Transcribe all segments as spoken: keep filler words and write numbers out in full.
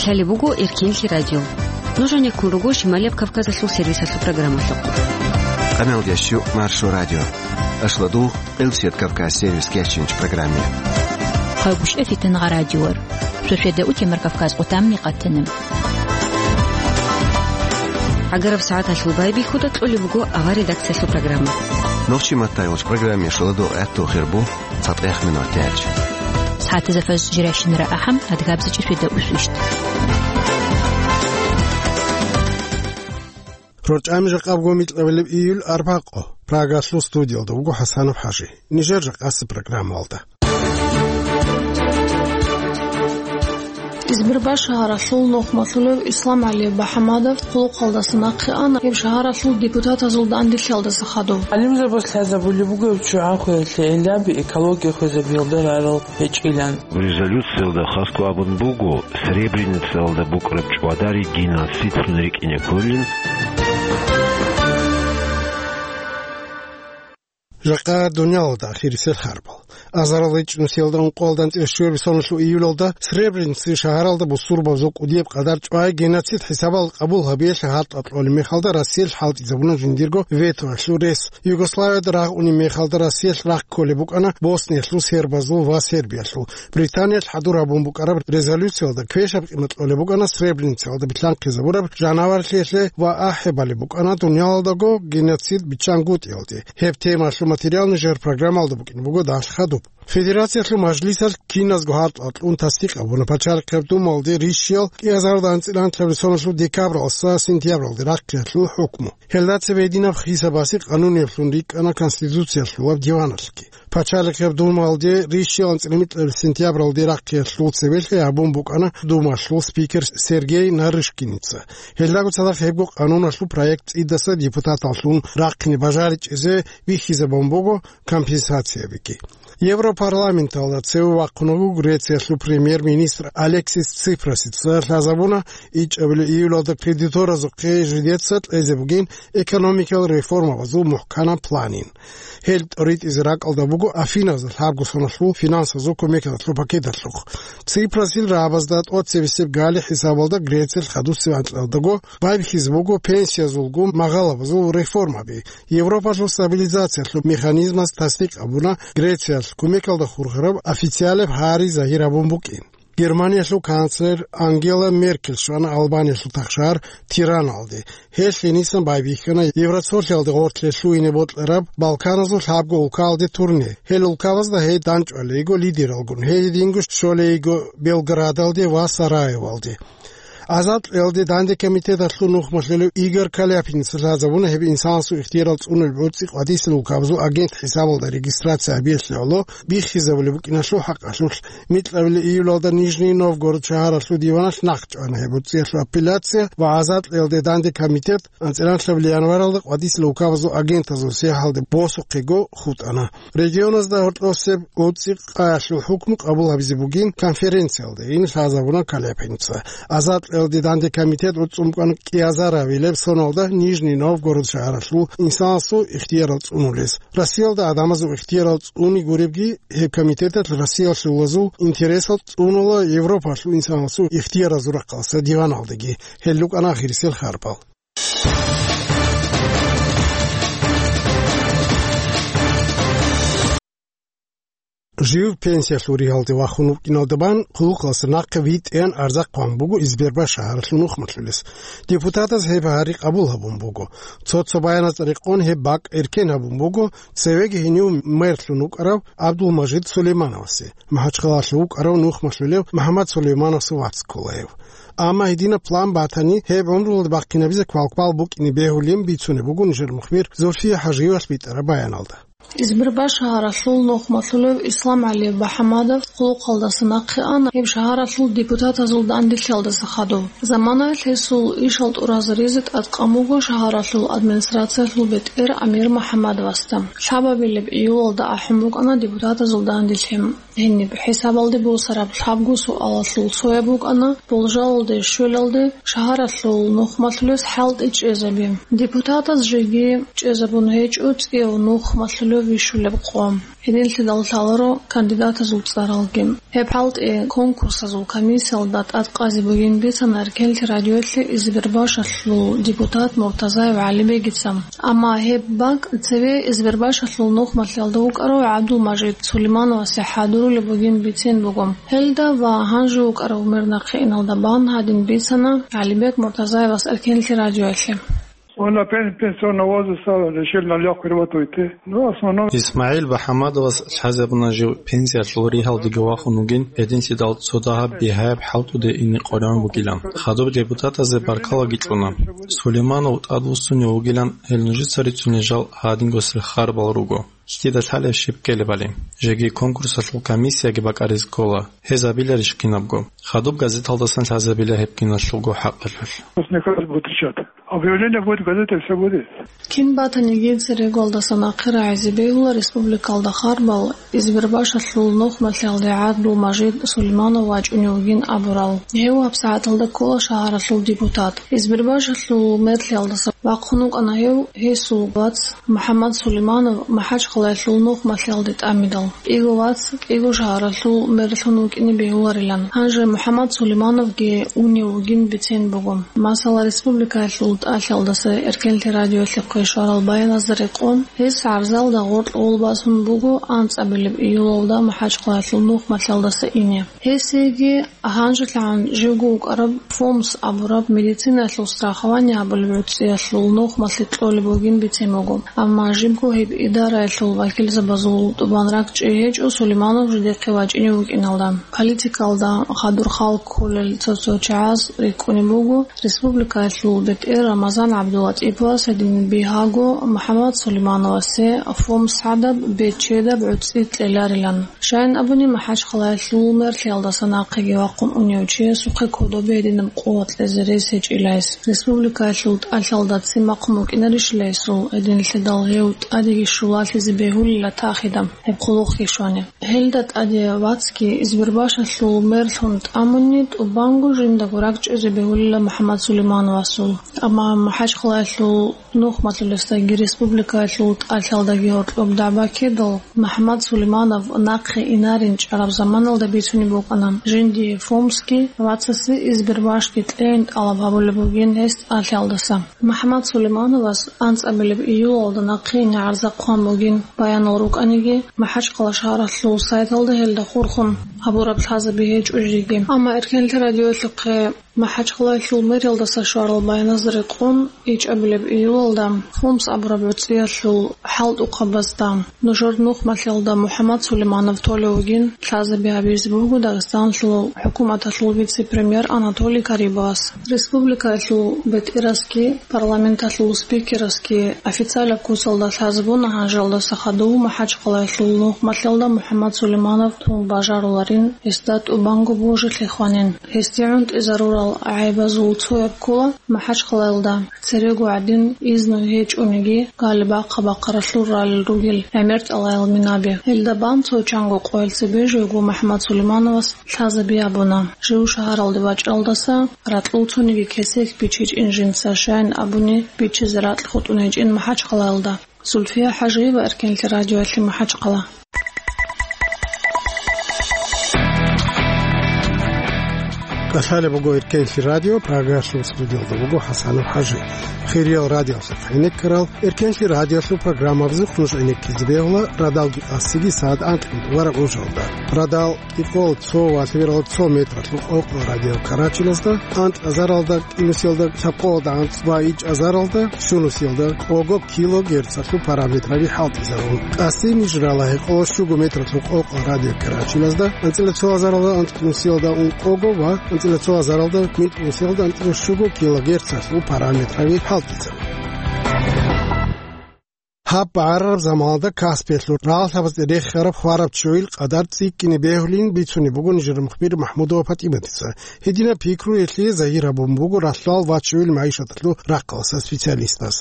Лъалеб буго Эркенлъи радио. Нуж гьанеккун руго Шималияб Кавказалъул сервисалъул программалъухъ. Къамелдящу Маршо радио. Ашладу Элсет Кавказ сервис кечинч программе. Хъайбуш эфитан гъа радиор. Шошеда утемар Кавказ къутамни къатана. Агараб сагӀаталъул байбихьуда кьолеб буго авар редакциялъул программа. Нохчи маттайгъуч программе шуладу гӀатту хирбу. ЦатӀех минут тяч. СагӀатазда фаз жиращинара ахӀам, адгабзичӀи шуйда усвищт. РорчӀами жакъабго микьабилеб июль арбакъо. Прагалъул студиялда вуго ХӀасанов ХӀажи. Нижер жакъаси программалда. Избербаш шагьаралъул нухмалъулев Ислам ГӀалиев БахӀамадов хъулухъалдаса нахъе ана, гьеб шагьаралъул депутатазул данделъиялдаса хадув. ГӀалимзабаз лъазабулеб буго гьеб ччугӀан хвеялъе гӀиллаби экология хвезабиялда рарал гьечӀилан. Резолюциялда хасго абун буго, Сребреницаялда букӀараб чӀвадари геноцид рикӀкӀине кколин. Жакъа дунялалда ахирисел харбал. Азарал ичӀнусиялда ункъоялда анцӀила щуяб соналъул июлалда Сребреница шагьаралда бусурбабазул кӀудияб къадар чӀвай геноцид хӀисабал къабул гьабиялъе хӀалтӀа кьолеб мехалда Россиялъ хӀалтӀизабуна жиндирго ветоялъул рес. Югославияда рагъ унеб мехалда Россиялъ рахъ кколеб букӀана Босниялъул сербазул ва Сербиялъул. Британиялъ хӀадур гьабун букӀараб резолюциялда квешаб къимат кьолеб букӀана Сребреницаялда билълъанхъизабураб жанаварлъиялъе ва ахӀи балеб букӀана дунялалдаго геноцид биччангутӀиялде. Гьеб темалъул материал нижер программалда букӀине буго далъ хадуб. Федерациялъул мажлисалъ киназго хӀалтӀа кьун тасдикъ гьабуна Пачалихъеб Думалде рищиял кӀиазарда анцӀила анлъабилеб соналъул декабралдаса сентябралде рахъиялъул хӀукму. Гьелда цебе гьединаб хисабасе къануниблъун рикӀкӀана Конституциялъулаб диваналъги. Пачалихъеб Думалде рищиял анцӀила микьабилеб сентябралде рахъиялъул цебелъи гьабун букӀана Думалъул спикер Сергей Нарышкиница. Гьелдаго цадахъ гьебго къануналъул проект цӀидаса депутаталлъун рахъине бажаричӀезе бихьизабун буго компенсациябиги. Европарламенталда цеве вахъун вуго Грециялъул премьер-министр Алексис Ципрасица. Лъазабуна ичӀабилеб июлалда кредиторазухъе жидеца кьезе бугин экономикал реформабазул мухӀканаб планин. Гьел тӀоритӀизе ракӀалда буго Афиназда лъабго соналъул финансазул кумекалъул пакеталъухъ. Ципрасил рагӀабазда тӀоцебесеб гали хӀисабалда Грециялъ хадусеб анкьалдаго байбихьизе буго пенсиязулгун магъалабазул реформаби. Европалъул стабилизациялъул механизмаз тасдикъ гьабуна Грециялъ кумекалда хурхараб официалаб гьари загьир гьабун букӀин. Германиялъул канцлер Ангела Меркель щвана Албаниялъул тахшагьар Тираналде. Гьелъ гьенисан байбихьана Евроцолъиялде гъорлъе лъугьине бокьараб Балканазул лъабго улкаялде турне. Гьел улкабазда гьей дандчӀвалейго лидералгун, гьединго щолейго Белградалде ва Сараевалде. Азад кьеялде данде комитеталъул нухмалъулев Игорь Каляпиница лъазабуна гьеб инсанасул ихтиярал цӀунулеб гӀуцӀи къватӀисел улкабазул агент хӀисабалда регистрация гьабиялъе гӀоло биххизабулеб букӀиналъул хӀакъалъулъ. Микьабилеб июлалда Нижний Новгород шагьаралъул диваналъ нахъ чӀвана гьеб гӀуцӀиялъул апелляция ва азад кьеялде данде комитет анцӀила анлъабилеб январалда къватӀисел улкабазул агентазул сахлъиялде босухъего хутӀана. Регионазда гьоркьосеб гӀуцӀи къаялъул хӀукму къабул гьабизе бугин конференциялда, ин лъазабуна Каляпиница. Азад кьеялде данде комитет гӀуцӀун букӀана кӀиазарабилеб соналда Нижний Новгород шагьаралъул инсанасул ихтиярал цӀунулес. Россиялда гӀадамазул ихтиярал цӀуни гуребги, гьеб комитеталъ Россиялъулазул интересал цӀунула Европалъул инсанасул ихтияразул рахъалъа диваналдеги. Гьел рукӀана ахирисел харпал. Жив пенсиялъул ригьалде вахун вукӀиналда бан хъулухъалъа нахъе витӀеян арзахъ ван буго Избербаш шагьаралъул нухмалъулес. Депутатаз гьеб гьари къабул гьабун буго. Цо-цо баяназда рекъон гьеб бакӀ эркен гьабун буго цевеги гьенив мэрлъун вукӀарав ГӀабдулмажид Сулеймановасе, МахӀачхъалалъув вукӀарав нухмалъулев МухӀаммад Сулеймановасул вац кколаев. Амма гьединаб план батани, гьеб гӀумруялда бахъинабизе квалквал букӀине бегьулин бицунеб буго нижер мухбир Зульфия ХӀажиевалъ битӀараб баяналда. Избербаш шагьаралъул нухмалъулев Ислам ГӀалиев БахӀамадов хъулухъалдаса нахъе ана, гьеб шагьаралъул депутатазул данделъиялдаса хадув. Заманаялъ гьесул ишал тӀуразаризе тӀадкъан буго шагьаралъул администрациялъул бетӀер Амир МухӀаммадовасда. Лъабабилеб июлалда ахӀун букӀана депутатазул данделъи. Гьениб хӀисабалде босараб лъабго суалалъул цояб букӀана, болжалалде щвелалде шагьаралъул нухмалъулес хӀалтӀи чӀезаби. Депутатаз жеги чӀезабун гьечӀо цӀияв нухмалъулев вищулеб къо. Гьединлъидал лъаларо кандидатазул цӀаралги. Гьеб хӀалтӀи конкурсазул комиссиялда тӀадкъазе бугин бицана Эркенлъи радиоялъе Избербашалъул депутат Муртазаев ГӀалибегица. Амма гьеб бакӀ цеве Избербашалъул нухмалъиялда вукӀарав ГӀабдулмажид Сулеймановасе хӀадурулеб бугин бицин буго. Гьелда ва гьанже вукӀарав мер нахъе иналда бан гьадин бицана ГӀалибек Муртазаевас Эркенлъи радиоялъе. Он на пен-, пенсионного возраста решил на лёгкую работу идти. Ну, в основном ИсмагӀил БахӀамадовас лъазабуна жив пенсиялъул ригьалдеги вахун вугин, гьединлъидал цо дагьаб бигьаяб хӀалтӀуде ине къваригӀун бугилан. Хадуб депутатазе баркалаги кьуна. Сулейманов тӀадвуссунев вугилан, гьел нужеца рицунел жал гьадингосел харбал руго. Кида лъалеб щиб ккелебали. Жеги конкурсалъул комиссияги бакӀаризе ккола. Гьез абиларищ кинабго? Хадуб газеталдасан лъазабила гьеб киналъулго хӀакъалъулъ. Пусть не каждый будет отвечать. Объявление будет в газете, всё будет. Кин батаниги церегуялдаса нахъе рагӀизе бегьула республикалда харбал, Избербашалъул нухмалъиялде ГӀабдулмажид Сулейманов вачӀунев вугин абурал. Гьев гьабсагӀаталда ккола шагьаралъул депутат. Избербашалъул мерлъиялдаса вахъун вукӀана гьев, гьесул вац МухӀаммад Сулейманов МахӀачхъалаялъул нухмалъиялде тӀамидал. КӀиго вац кӀиго шагьаралъул мерлъун вукӀине бегьуларилан. Гьанже МухӀаммад Сулеймановги унев вугин бицен буго. Масала, республикаялъул тӀалъиялдаса Эркенлъи радиоялъухъе щварал баяназда рекъон, гьес гӀарзалда гъоркь гъолбасун буго анцӀабилеб июлалда МахӀачхъалаялъул нухмалъиялдаса ине. Гьесиеги гьанжелъагӀан живго вукӀараб ФОМС абураб медицинаялъул страхование гьабулеб гӀуцӀиялъул нухмалъе кьолеб бугин бицен буго. Амма жибго гьеб идараялъул вакилзабазул тӀубан ракӀчӀей гьечӀо Сулейманов жидехъе вачӀинев вукӀиналда. Политикалда хадур хал кколел цо-цо чагӀаз рикӀкӀунеб буго, республикаялъул бетӀер Рамазан ГӀабдулатӀиповас гьедин бигьаго МухӀаммад Сулеймановасе ФОМС гӀадаб бечедаб гӀуцӀи кьеларилан. Щайин абуни, МахӀачхъалаялъул мерлъиялдаса нахъеги вахъун унев чиясухъе кодобе гьединаб къуват кьезе рес гьечӀила гьес. Республикаялъул тӀалъиялда ццин бахъун букӀинарищила гьесул, гьединлъидал гьев тӀадеги щулалъизе бегьулила тахида гьеб хъулухъги щвани. Гьелда тӀаде вацги Избербашалъул мерлъун тӀамуни, тӀубанго жиндаго ракӀчӀезе бегьулила МухӀаммад Сулеймановасул. Амма МахӀачхъалаялъул нухмалъулесдаги республикаялъул тӀалъиялдаги гьоркьоб дагӀба ккедал, МухӀаммад Сулейманов нахъе инарин чӀараб заманалда бицунеб букӀана, жиндие ФОМСги вацасе Избербашги кьейин тӀалаб гьабулеб бугин гьес тӀалъиялдаса. МухӀаммад Сулеймановас анцӀабилеб июлалда нахъе ине гӀарза хъван бугин баянал рукӀаниги, МахӀачхъала шагьаралъул сайталда гьелда хурхун гьабураб лъазаби гьечӀо жеги. Амма Эркенлъи радиоялъухъе МахӀачхъалаялъул мэриялдаса щварал баяназда рекъон, ичӀабилеб июлалда ФОМС абураб гӀуцӀиялъул хӀалтӀухъабазда нужер нухмалъиялда МухӀаммад Сулейманов толев вугин лъазаби гьабизе буго Дагъистаналъул хӀукуматалъул вице-премьер Анатолий Карибовас. Республикаялъул бетӀерасги парламенталъул спикерасги официалаб куцалда лъазабуна гьанжалдаса хадув МахӀачхъалаялъул нухмалъиялда МухӀаммад Сулейманов тун бажаруларин, гьесда тӀубанго божилъи хванин. Гьесде гӀунтӀизарурал гӀайбазул цояб ккола МахӀачхъалаялда церего гӀадин изну гьечӀониги, гали бахъа-бахъаралъур ралел ругел гӀемер тӀалаял минаби. Гьелда бан цо чанго къоял цебе живго МухӀаммад Сулеймановас лъазаби гьабуна. Жив шагьаралде вачӀалдаса ракьул цониги кесек бичичӀин жинца, щайин абуни, бичизе ракь хутӀун гьечӀин МахӀачхъалаялда. Зульфия ХӀажиева, Эркенлъи радиоялъе, МахӀачхъала. КӀалъалеб буго Эркенлъи радио, Прагалъул студиялда буго ХӀасанов ХӀажи. Хириял радиоялъухъ гӀенеккарал, Эркенлъи радиоялъул программабазухъ нуж гӀенеккизе бегьула радалги къасиги сагӀат анкьго рагӀужалда. Радал кӀикъоялда цо ва лъабералда цо метралъул къокъо радио Карачиназда, анцӀазаралда кӀинусиялда лъабкъоялда анцӀ ва ичӀазаралда щунусиялда къого килогерцалъул параметраби хӀалтӀизарун. Къасин ижрала гьекъолда щуго метралъул къокъо радио Карачиназда, анцӀила цо азаралда анцӀнусиялда ункъого ва анцӀила цо азаралда минкьнусиялда анцӀила щуго килогерцалъул параметраби хӀалтӀизарун. Гьаб багӀарараб заманалда Каспиялъул рагъалъабазде рехараб хвараб чуйил къадар цӀикӀкӀине бегьулин бицунеб буго нижер мухбир МахӀмудова ПатӀиматица. Гьединаб пикру гьелъие загьир гьабун буго ралъдал вачуйил магӀишаталъул рахъалъа специалистас.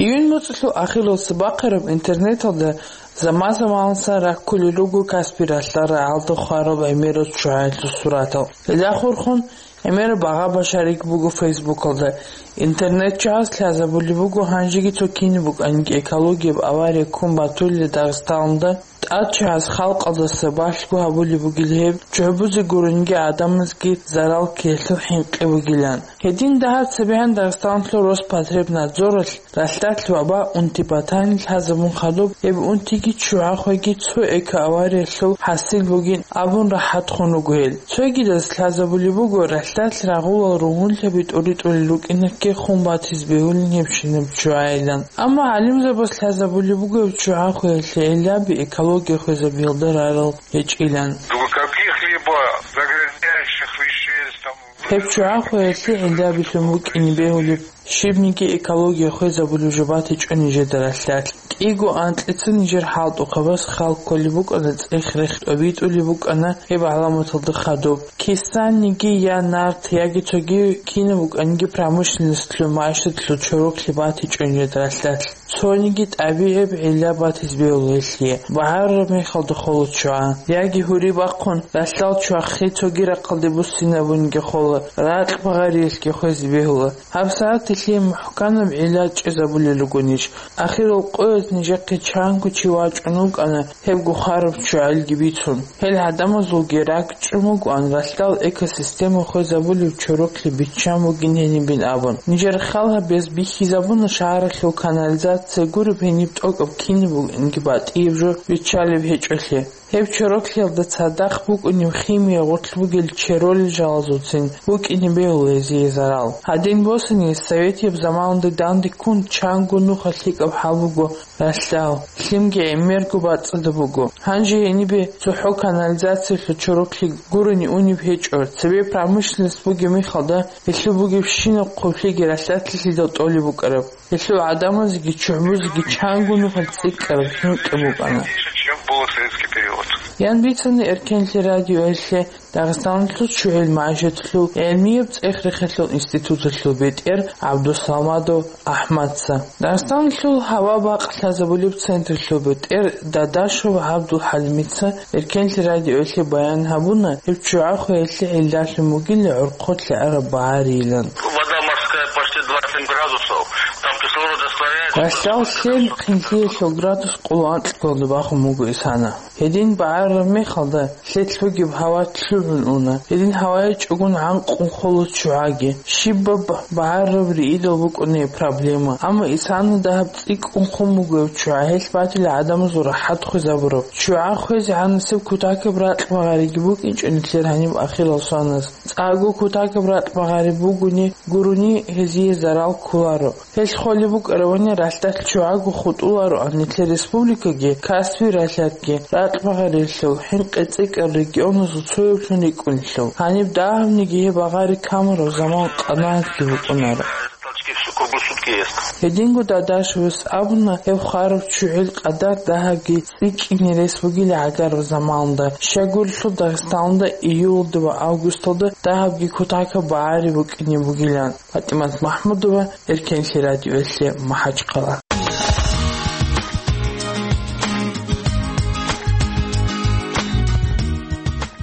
Июнь моцӀалъул ахиралъуса бахъараб интернеталда заман-заманалъ раккулел руго Каспи ралъдал рагӀалда хвараб гӀемерал чугӀаялъул суратал. Гьелда хурхун ГӀемераб агъа башарик буго Фейсбукалда. Интернет чагӀаз лъазабулеб буго гьанжеги цо кинаб букӀаниги экологияб авария ккун батулел Дагъистаналда. ТӀад чагӀаз халкъалдаса балъго гьабулеб бугел гьеб, чӀужугӀазе гурониги гӀадамазги зарал ккеялъул хӀинкъи бугилан. Гьедин дагьаб цебегӀан Дагъистаналъул Роспотребнадзоралъ ралъдалъ ваба унти батани лъазабун хадуб, гьеб унтиги ччугӀахъеги цо экоавариялъул хӀасил бугин абун рахӀатхун руго гьел. Цогидаз лъазабулеб буго ралъдалъ рагъулал ругьунлъаби тӀуритӀулел рукӀинакке хун батизе бегьулин гьебщинаб ччугӀайилан. Амма гӀалимзабаз лъазабулеб буго гьеб ччугӀахъеялъе гӀиллаби экология хвезабиялда рарал гьечӀилан. До каких-либо загрязняющих веществ там Гьеб ччугӀахъеялъе гӀиллабилъун букӀине бегьулеб щибниги экология хвезабулев жо батичӀо нижеда ралъдалъ. КӀиго анкьица нижер хӀалтӀухъабаз хал кколеб букӀана, цӀех-рех тӀобитӀулеб букӀана гьеб гӀаламаталда хадуб. Кисаниги я нарт, яги цоги кинаб букӀаниги промышленносталъул, мугӀаялъул чороклъи батичӀо нижеда ралъдалъ. Цониги тӀабигӀиб гӀилла батизе бегьула гьелъие, багӀараб мехалда хола ччугӀа, яги гьури бахъун, ралъдал ччугӀахъе цоги рахъалде буссинабунги хола, ракь багъариялъги хвезе бегьула. ГьабсагӀат гьелъие мухӀканаб гӀилла чӀезабулел ругонищ? Ахирал къоялъ нижехъе чанго чи вачӀун вукӀана гьебго хвараб ччугӀаилги бицун. Гьел гӀадамазулги ракӀчӀун вугоан ралъдал экосистема хвезабулев чороклъи биччан бугин гьенибин абун. Нижер хал гьабиялъ бихьизабуна шагьаралъул канализация гуреб гьениб тӀокӀаб кинаб букӀинги батӀияб жо биччалеб гьечӀолъи. Гьеб чороклъиялда цадахъ букӀунеб химия гъорлъ бугел черолел жалазулцин букӀине бегьула гьезие зарал. Гьадин босани, советияб заманалда дандеккун чанго нухалъ лъикӀаб хӀал буго ралъдал, лъимги гӀемерго бацӀцӀадаб буго. Гьанже гьенибе цохӀо канализациялъул чороклъи гурони унеб гьечӀо, цебе промышленность бугеб мехалда гьелъул бугебщинаб хъублъиги ралъдалъилъидал тӀолеб букӀараб. Гьелъул гӀадамазеги ччугӀазеги чанго нухалъ цӀикӀкӀараб хӀинкъи букӀана. Чем был советский период. Ян бицана Эркенлъи радиоялъе Дагъистаналъул ччугӀил магӀишаталъул гӀилмияб цӀех-рехиялъул институталъул бетӀер ГӀабдусамадов АхӀмадца. Дагъистаналъул гьава бакълъазабулеб централъул бетӀер Дадашев ГӀабдулхӀалимица Эркенлъи радиоялъе баян гьабуна гьеб ччугӀахъеялъе гӀиллалъун бугила гӀурхъулъ араб багӀарийилан. Вода морская почти двадцать семь градусов, там кислород растворяется. Ралъдал лъен хъинлъиялъул градус къоло анкьго бахун буго исана. Гьедин багӀараб мехалда лъелъ бугеб гьава лъугӀун уна. Гьедин гьавае чӀугун гӀанкъун хола ччугӀаги. Щибаб багӀараб риидал букӀуна гьеб проблема. Амма исана дагьаб цӀикӀкӀун хун буго гьеб ччугӀа, гьелъ батила гӀадамазул рахӀат хвезабураб. ЧчугӀа хвезегӀан нилъер кутакаб ракь багъариги букӀинчӀо нилъер гьаниб ахирал соназ. ЦӀакъго кутакаб ракь багъари бугони гурони гьезие зарал кколаро. Гьелъ холеб букӀаравани ралъдалъ ччугӀаго хутӀулароан нилъер республикаги, касби ралъадги, ракь багъариялъул хӀинкъи цӀикӀкӀарал регионазул цояблъун рикӀкӀунелъул. Гьаниб дагьабниги гьеб багъари камураб заман къанагӀатги букӀунаро. Толчки всю круглосутки есть. Гьединго Дадашевас абуна, гьеб хвараб ччугӀил къадар дагьабги цӀикӀкӀине рес бугила гӀагараб заманалда. Щайгурелъул Дагъистаналда июлалда ва августалда дагьабги кутакаб багӀари букӀине бугилан. ПатӀимат МахӀмудова, Эркенлъи радиоялъе, МахӀачхъала.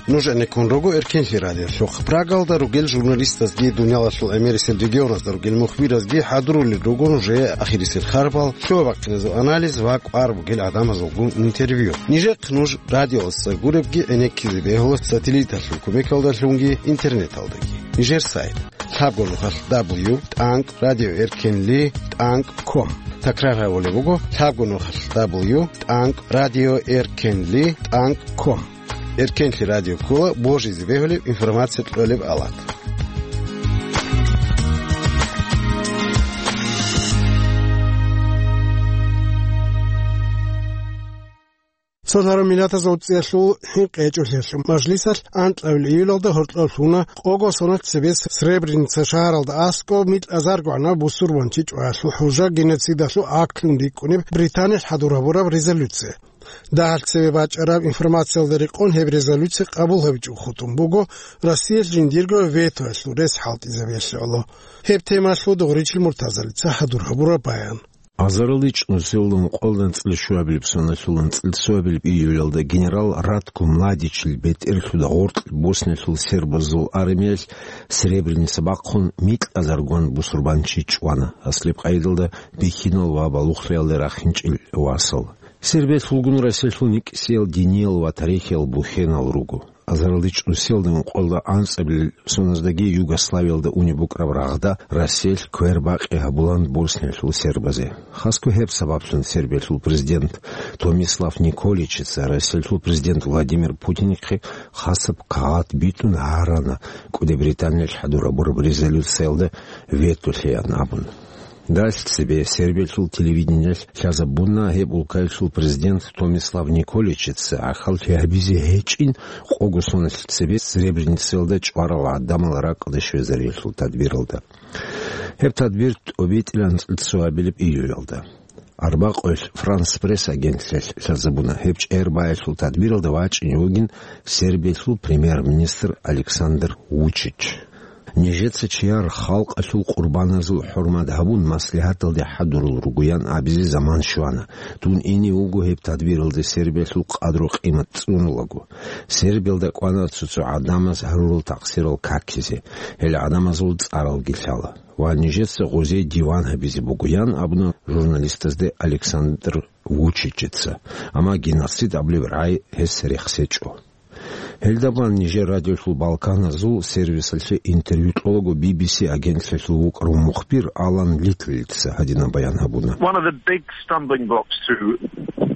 Нуж гӀенеккун руго Эркенлъи радиолъухъ. Прагалда ругел журналистазги, дуниялалъул гӀемерисел регионазда ругел мухбиразги хӀадурулел руго нужее ахирисел харбал, лъугьа-бахъиназул анализ ва кӀвар бугел гӀадамазулгун интервью. Нижехъ нуж радиоялдаса гуребги гӀенеккизе бегьула сателлиталъул кумекалдалъунги интернеталдаги. Нижер сайт: лъабго нухалъ дабл ю тӀанкӀ радио эркенли тӀанкӀ ком. Такрар гьабулеб буго: лъабго нухалъ дабл ю тӀанкӀ радио эркенли тӀанкӀ ком. Эркенлъи радио ккола божизе бегьулеб информация кьолеб алат. Цо лъарав минатазул цӀиялъул хӀинкъи гьечӀолъиялъул мажлисалъ анкьабил июлалда гьоркьоб лъугьуна къого соналъ цебе Сребреница шагьаралда аскӀоб микьазарго гӀанав бусурбанчи чӀваялъул хӀужа геноцидалъул актлъун рикӀкӀунеб Британиялъ хӀадур гьабураб резолюция. Дагьалъ цебе бачӀараб информациялда рекъон гьеб резолюция къабул гьабичӀого хутӀун буго Россиялъ жиндирго ветоялъул рес хӀалтӀизабиялъе гӀоло. Гьеб темалъул Дугъричил Муртазалица хӀадур гьабураб баян. Азаралда чӀунусиялда ункъоялда анцӀила щуабилеб соналъул анцӀила цоабилеб июлялда генерал Ратко Младичил бетӀерлъуда гъоркь Боснялъул сербазул армиялъ Сребреница бахъун микьазаргун бусурбанчи чӀвана, аслеб къайдалда бихьинал ва балугълъиялда рахинчӀел васал. Сербиялъулгун Россиялъул никӀисиял диниял ва тарихиял бухьенал руго. Азаралда чӀунусиялда ункъоялда анцӀабилеб соназдаги Югославиялда унеб букӀараб рагъда Россиялъ квербакъи гьабулан Босниялъул сербазе. Хасго гьеб сабаблъун Сербиялъул президент Томислав Николичица Россиялъул президент Владимир Путинихъе хасаб кагъат битӀун гьарана, КӀуди Британиялъ хӀадурабураб резолюциялда вето лъеян абун. Дальше цебе Сербиялъул телевидениялъ лъазабуна гьеб улкаялъул президент Томислав Николичица гӀахьаллъи гьабизе гьечӀин къого соналъ цебе Сребреницаялда чӀварал гӀадамал ракӀалде щвезариялъул тадбиралда. Гьеб тадбир тӀобитӀилан цоабилеб июлялда. Арбакъоялъ Франс Пресс агенталъ лъазабуна гьеб чӀербаялъул тадбиралда вачӀине вугин Сербиялъул премьер-министр Александр Вучич. Нижеца чияр халкъалъул къурбаназул хӀурмат гьабун маслигьаталде хӀадурал ругоян абизе заман щвана. Дун ине вуго гьеб тадбиралде Сербиялъул къадру-къимат цӀунулаго. Сербиялда кӀвана цо-цо гӀадамаз гьарурал такъсирал какизе, гьел гӀадамазул цӀаралги лъала. Ва нижеца гъозие диван гьабизе бугоян абуна журналистазде Александр Вучичица, амма геноцид абулеб рагӀи гьес рехсечӀо. Гьелдабан нижер радиолъул балканазул сервисалъе интервью кьолаго Би Би Си агенталъул вукӀарав мухбир Алан Литлица гьадинаб баян гьабуна. One of the big stumbling blocks to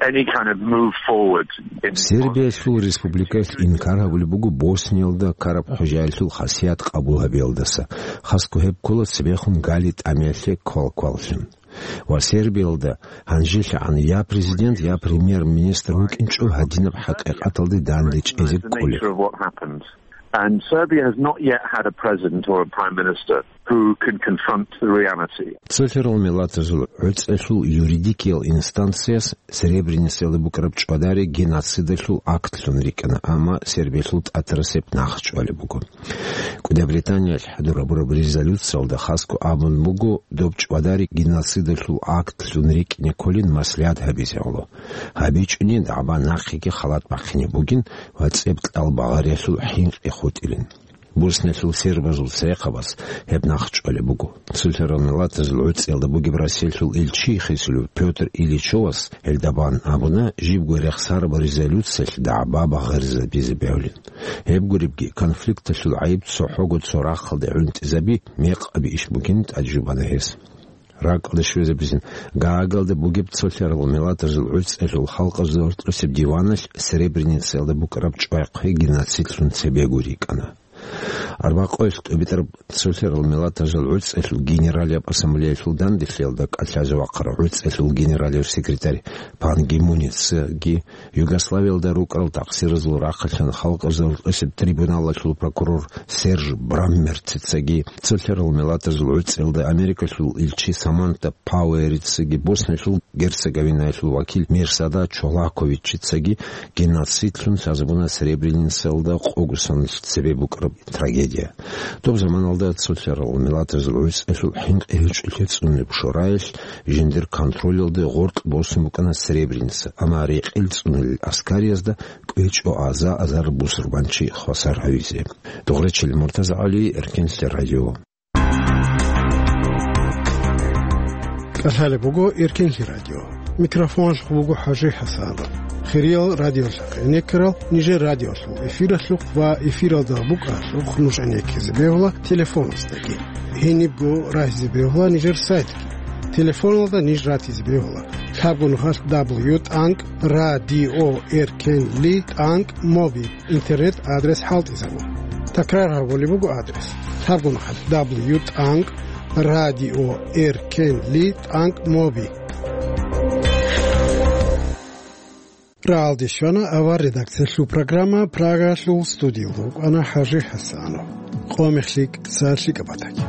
any kind of move forward in Сербиялъул республикаялъ инкар гьабулеб буго Босниялда ккараб хӀужаялъул хасият къабул гьабиялдаса, хасго гьеб ккола цебехун гали тӀамиялъе квалкваллъун. Ва Сербиялда гьанжелъагӀан я президент, я премьер-министр вукӀинчӀо гьадинаб хӀакъикъаталде данде чӀезе кколеб. And Serbia has not yet had a president or a prime minister who can confront the reality. Цолъарал миллатазул гӀуцӀелъул юридикиял инстанцияс Сребреницаялда букӀараб чӀвадари геноцидалъул актлъун рикӀкӀана, амма Сербиялъул тӀатарас гьеб нахъчӀвалеб буго. КӀуди Британиялъ хӀадурабураб резолюциялда хасго абун буго, доб чӀвадари геноцидалъул актлъун рикӀкӀине кколин маслигьат гьабизе гӀоло. ГьабичӀони дагӀба нахъеги халат бахъине бугин ва цӀебкьал багъариялъул хӀинкъи хутӀилин. Босниялъул сербазул церехъабаз гьеб нахъчӀвалеб буго. Цолъарал миллатазул гӀуцӀиялда бугеб Россиялъул илчи хисулев Пётр Ильичовас гьелдабан абуна, жибго рехсараб резолюциялъ дагӀба багъаризабизе бегьулин. Гьеб гуребги, конфликталъул гӀайиб цохӀого цо рахъалде гӀунтӀизаби мекъаби иш бугин тӀаде жубана гьес. РакӀалде щвезабизин Гаагалда бугеб цолъарал миллатазул гӀуцӀелъул халкъазул гьоркьосеб диваналъ Сребреницаялда букӀараб чӀвай-хъвей геноцидлъун цебего рикӀкӀана. Арбакъоялъ тӀубитӀараб цолъарал миллатазул гӀуцӀелъул генералияб ассамблеялъул данделъиялда кӀалъазе вахъарав гӀуцӀелъул генералияб секретарь Пан Ги Муницаги, Югославиялда рукӀарал такъсиразул рахъалъан халкъазул гьоркьосеб трибуналалъул прокурор Серж Браммерцицаги, цолъарал миллатазул гӀуцӀиялда Америкалъул илчи Саманта Пауэрицаги, Босниялъул Герцеговинаялъул вакил Мирсада Чолаковичицаги геноцидлъун лъазабуна Сребреницаялда къого соналъ цебе букӀараб трагедия. Доб заманалда цолъарал миллатазул гӀуцӀелъул хӀинкъи гьечӀолъи цӀунулеб шораялъ жиндир контролалде гъоркь босун букӀана Сребреница, амма рекъел цӀунулел аскариязда кӀвечӀо аза-азар бусурбанчи хвасар гьавизе. Дугъречил Муртаза ГӀали, Эркенлъи радио. КӀалъалеб буго Эркенлъи радио. Микрофоналъухъ буго ХӀажи ХӀасан. Хириял радиолъахъ гӀенеккарал нижер радиолъул эфиралъухъ ва эфиралда букӀаралъухъ нуж гӀенеккизе бегьула телефоназдаги. Гьенибго рагьизе бегьула нижер сайтги. Телефоналда ниж ратизе бегьула: лъабго нухалъ дабл ю тӀанкӀ радио эркенли тӀанкӀ моби. Интернет адрес хӀалтӀизабун. Такрар гьабулеб буго адрес: лъабго нухалъ дабл ю тӀанкӀ радио эркенли тӀанкӀ моби. Рагьалде щвана авар редакциялъул программа, Прагалъул студиялда вукӀана ХӀажи ХӀасанов. Къо мехлъи цалъи кӀабатаги.